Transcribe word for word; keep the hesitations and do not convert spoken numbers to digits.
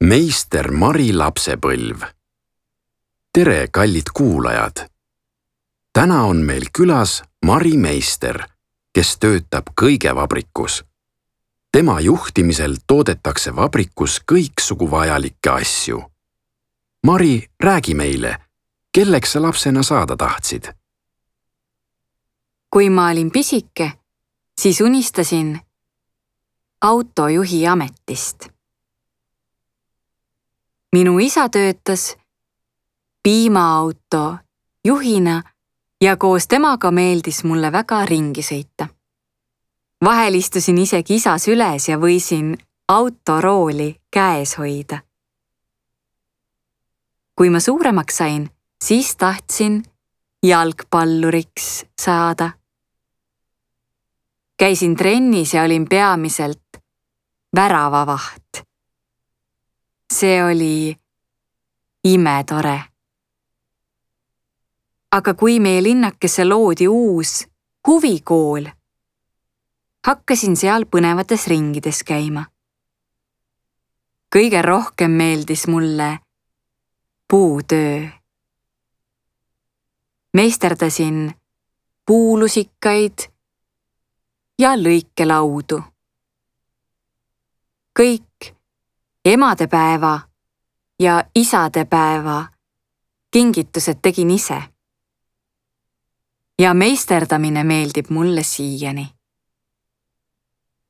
Meister Mari lapsepõlv. Tere, kallid kuulajad! Täna on meil külas Mari meister, kes töötab kõigevabrikus. Tema juhtimisel toodetakse vabrikus kõiksugu vajalikke asju. Mari, räägi meile, kelleks sa lapsena saada tahtsid? Kui ma olin pisike, siis unistasin autojuhi ametist. Minu isa töötas piimaauto juhina ja koos temaga meeldis mulle väga ringi sõita. Vahel istusin isegi isa süles ja võisin autorooli käes hoida. Kui ma suuremaks sain, siis tahtsin jalgpalluriks saada. Käisin trennis ja olin peamiselt väravavaht. See oli imetore. Aga kui meie linnakesse loodi uus huvikool, hakkasin seal põnevates ringides käima. Kõige rohkem meeldis mulle puutöö. Meisterdasin puulusikaid ja lõikelaudu. Kõik emadepäeva ja isadepäeva kingitused tegin ise. Ja meisterdamine meeldib mulle siiani.